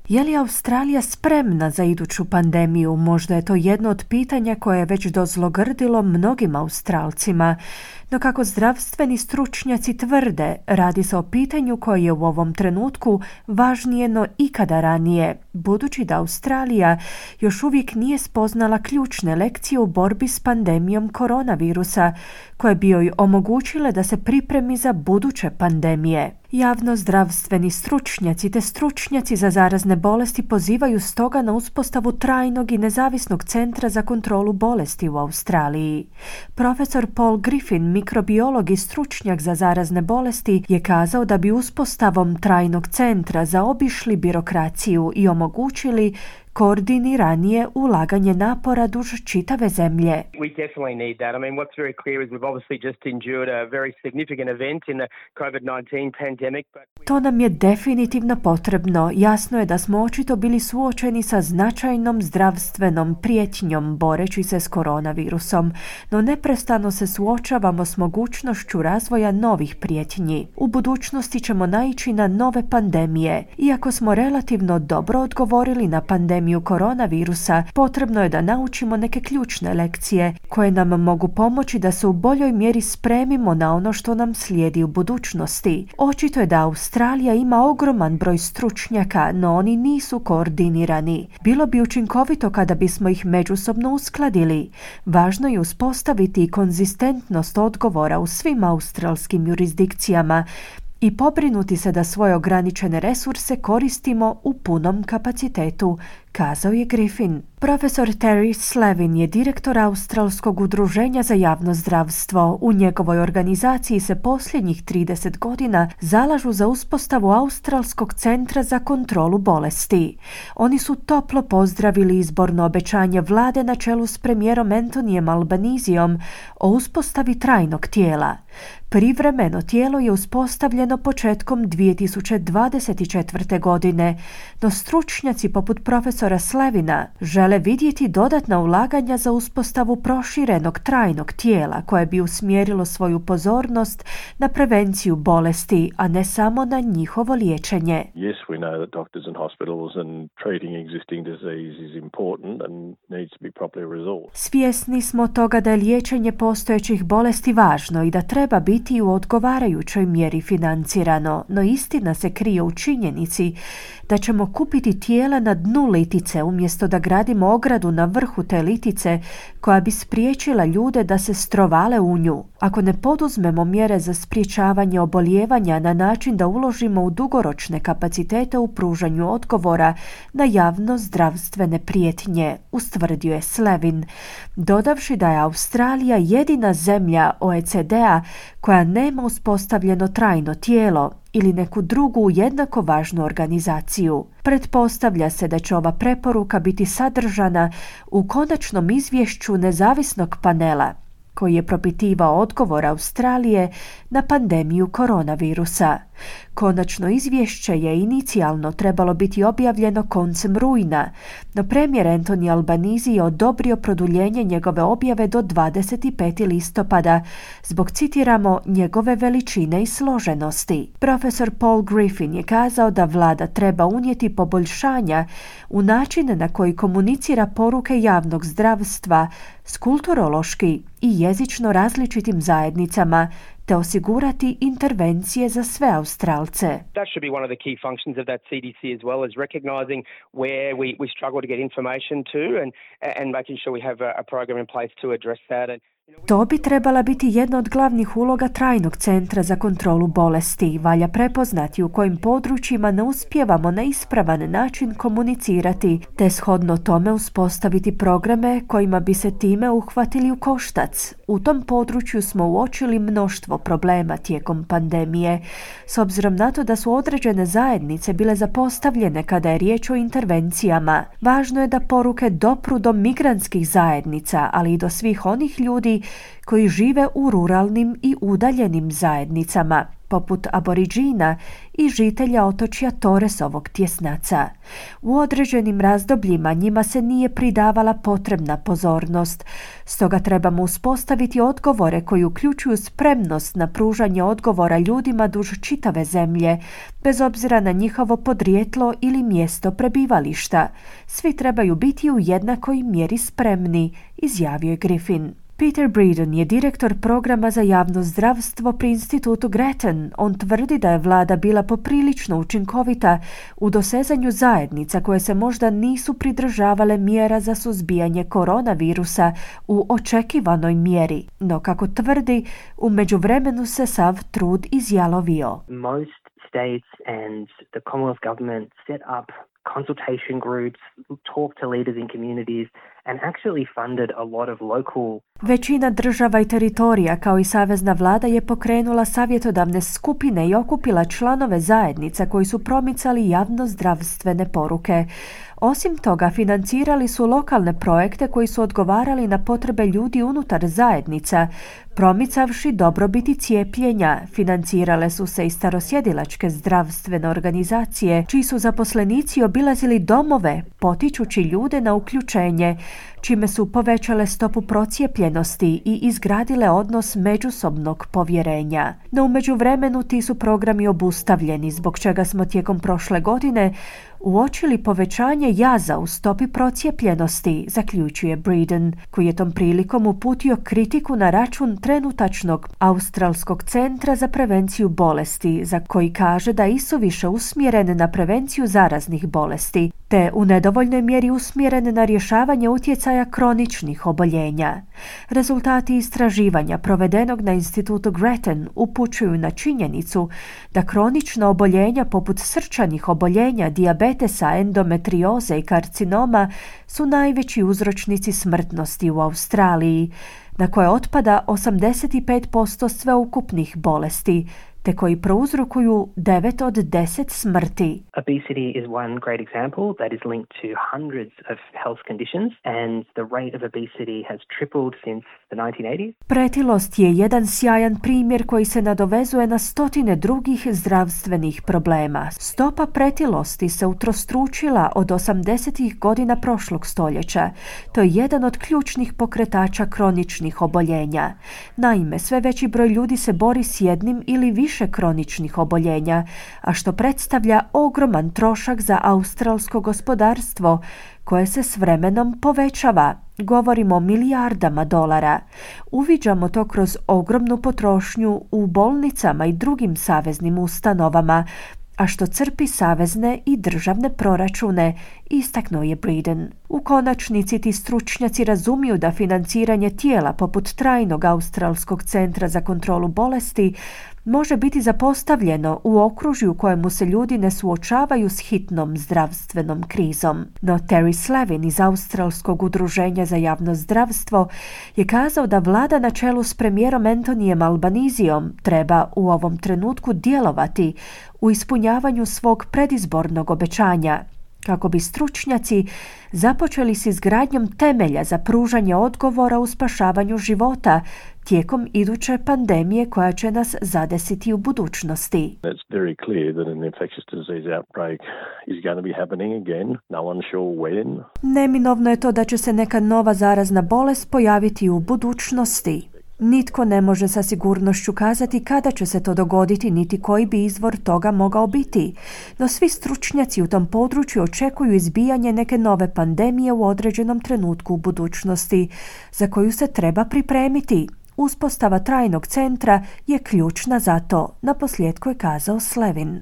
Je li Australija spremna za iduću pandemiju? Možda je to jedno od pitanja koje je već dozlogrdilo mnogim Australcima. No kako zdravstveni stručnjaci tvrde, radi se o pitanju koje je u ovom trenutku važnije no ikada ranije, budući da Australija još uvijek nije spoznala ključne lekcije u borbi s pandemijom koronavirusa, koje bi joj omogućile da se pripremi za buduće pandemije. Javnozdravstveni stručnjaci te stručnjaci za zarazne bolesti pozivaju stoga na uspostavu trajnog i nezavisnog centra za kontrolu bolesti u Australiji. Profesor Paul Griffin, mikrobiolog i stručnjak za zarazne bolesti, je kazao da bi uspostavom trajnog centra zaobišli birokraciju i omogućili koordiniranije ulaganje napora duž čitave zemlje. We definitely need that. I mean, what's very clear is we've obviously just endured a very significant event in the COVID-19 pandemic. To nam je definitivno potrebno. Jasno je da smo očito bili suočeni sa značajnom zdravstvenom prijetnjom boreći se s koronavirusom, no neprestano se suočavamo s mogućnošću razvoja novih prijetnji. U budućnosti ćemo naići na nove pandemije. Iako smo relativno dobro odgovorili na pandemiju koronavirusa, potrebno je da naučimo neke ključne lekcije koje nam mogu pomoći da se u boljoj mjeri spremimo na ono što nam slijedi u budućnosti. Očito je da Australija ima ogroman broj stručnjaka, no oni nisu koordinirani. Bilo bi učinkovito kada bismo ih međusobno uskladili. Važno je uspostaviti konzistentnost odgovora u svim australskim jurisdikcijama i pobrinuti se da svoje ograničene resurse koristimo u punom kapacitetu, kazao je Griffin. Profesor Terry Slevin je direktor Australskog udruženja za javno zdravstvo. U njegovoj organizaciji se posljednjih 30 godina zalažu za uspostavu Australskog centra za kontrolu bolesti. Oni su toplo pozdravili izborno obećanje vlade na čelu s premijerom Antonijem Albanisijom o uspostavi trajnog tijela. Privremeno tijelo je uspostavljeno početkom 2024. godine, no stručnjaci poput profesora Slevina žele vidjeti dodatna ulaganja za uspostavu proširenog trajnog tijela koje bi usmjerilo svoju pozornost na prevenciju bolesti, a ne samo na njihovo liječenje. Yes, we know that doctors and hospitals and treating existing disease is important and needs to be properly resourced. Svjesni smo toga da je liječenje postojećih bolesti važno i da treba biti u odgovarajućoj mjeri financirano, no istina se krije u činjenici da ćemo kupiti tijela na dnu litice umjesto da gradimo ogradu na vrhu te litice koja bi spriječila ljude da se strovale u nju. Ako ne poduzmemo mjere za sprječavanje obolijevanja na način da uložimo u dugoročne kapacitete u pružanju odgovora na javno zdravstvene prijetnje, ustvrdio je Slevin, dodavši da je Australija jedina zemlja OECD-a koja nema uspostavljeno trajno tijelo ili neku drugu jednako važnu organizaciju. Pretpostavlja se da će ova preporuka biti sadržana u konačnom izvješću nezavisnog panela koji je propitivao odgovor Australije na pandemiju koronavirusa. Konačno izvješće je inicijalno trebalo biti objavljeno koncem rujna, no premijer Anthony Albanese je odobrio produljenje njegove objave do 25. listopada zbog, citiramo, njegove veličine i složenosti. Profesor Paul Griffin je kazao da vlada treba unijeti poboljšanja u način na koji komunicira poruke javnog zdravstva s kulturološki i jezično različitim zajednicama, te osigurati intervencije za sve Australce. That should be one of the key functions of that CDC as well, as recognizing where we struggle to get information to and making sure we have a program in place to address that. To bi trebala biti jedna od glavnih uloga trajnog centra za kontrolu bolesti. Valja prepoznati u kojim područjima ne uspijevamo na ispravan način komunicirati, te shodno tome uspostaviti programe kojima bi se time uhvatili u koštac. U tom području smo uočili mnoštvo problema tijekom pandemije, s obzirom na to da su određene zajednice bile zapostavljene kada je riječ o intervencijama. Važno je da poruke dopru do migrantskih zajednica, ali i do svih onih ljudi koji žive u ruralnim i udaljenim zajednicama. poput aboriđina i žitelja otočja Torresovog tjesnaca. U određenim razdobljima njima se nije pridavala potrebna pozornost, stoga trebamo uspostaviti odgovore koji uključuju spremnost na pružanje odgovora ljudima duž čitave zemlje, bez obzira na njihovo podrijetlo ili mjesto prebivališta. Svi trebaju biti u jednakoj mjeri spremni, izjavio je Griffin. Peter Breeden je direktor programa za javno zdravstvo pri institutu Grattan. On tvrdi da je vlada bila poprilično učinkovita u dosezanju zajednica koje se možda nisu pridržavale mjera za suzbijanje koronavirusa u očekivanoj mjeri. No, kako tvrdi, u međuvremenu se sav trud izjalovio. Most states and the Commonwealth government set up consultation groups, talk to leaders in communities and actually funded a lot of local. Većina država i teritorija kao i savezna vlada je pokrenula savjetodavne skupine i okupila članove zajednica koji su promicali javnozdravstvene poruke. Osim toga, financirali su lokalne projekte koji su odgovarali na potrebe ljudi unutar zajednica, promicavši dobrobiti cijepljenja. Financirale su se i starosjedilačke zdravstvene organizacije, čiji su zaposlenici obilazili domove, potičući ljude na uključenje, čime su povećale stopu procijepljenosti i izgradile odnos međusobnog povjerenja. No u međuvremenu ti su programi obustavljeni, zbog čega smo tijekom prošle godine uočili povećanje jaza u stopi procijepljenosti, zaključuje Breeden, koji je tom prilikom uputio kritiku na račun trenutačnog Australskog centra za prevenciju bolesti, za koji kaže da je isuviše usmjeren na prevenciju zaraznih bolesti, te u nedovoljnoj mjeri usmjeren na rješavanje utjecaja kroničnih oboljenja. Rezultati istraživanja provedenog na institutu Grattan upućuju na činjenicu da kronična oboljenja poput srčanih oboljenja, dijabetesa, endometrioze i karcinoma su najveći uzročnici smrtnosti u Australiji, na koje otpada 85% sveukupnih bolesti, te koji prouzrokuju 9 od 10 smrti. Obesity is one great example that is linked to hundreds of health conditions and the rate of obesity has tripled since the 1980s. Pretilost je jedan sjajan primjer koji se nadovezuje na stotine drugih zdravstvenih problema. Stopa pretilosti se utrostručila od 80. godina prošlog stoljeća. To je jedan od ključnih pokretača kroničnih oboljenja. Naime, sve veći broj ljudi se bori s jednim ili više kroničnih oboljenja, a što predstavlja ogroman trošak za australsko gospodarstvo, koje se s vremenom povećava. Govorimo o milijardama dolara. Uviđamo to kroz ogromnu potrošnju u bolnicama i drugim saveznim ustanovama, a što crpi savezne i državne proračune, istaknuo je Breeden. U konačnici ti stručnjaci razumiju da financiranje tijela poput trajnog Australskog centra za kontrolu bolesti može biti zapostavljeno u okružju u kojemu se ljudi ne suočavaju s hitnom zdravstvenom krizom. No Terry Slavin iz Australskog udruženja za javno zdravstvo je kazao da vlada na čelu s premijerom Antonijem Albanizijom treba u ovom trenutku djelovati u ispunjavanju svog predizbornog obećanja, kako bi stručnjaci započeli s izgradnjom temelja za pružanje odgovora u spašavanju života tijekom iduće pandemije koja će nas zadesiti u budućnosti. It's very clear that an infectious disease outbreak is going to be happening again. No one's sure when. Neminovno je to da će se neka nova zarazna bolest pojaviti u budućnosti. Nitko ne može sa sigurnošću kazati kada će se to dogoditi, niti koji bi izvor toga mogao biti. No svi stručnjaci u tom području očekuju izbijanje neke nove pandemije u određenom trenutku u budućnosti, za koju se treba pripremiti. Uspostava trajnog centra je ključna za to, naposljetku je kazao Slavin.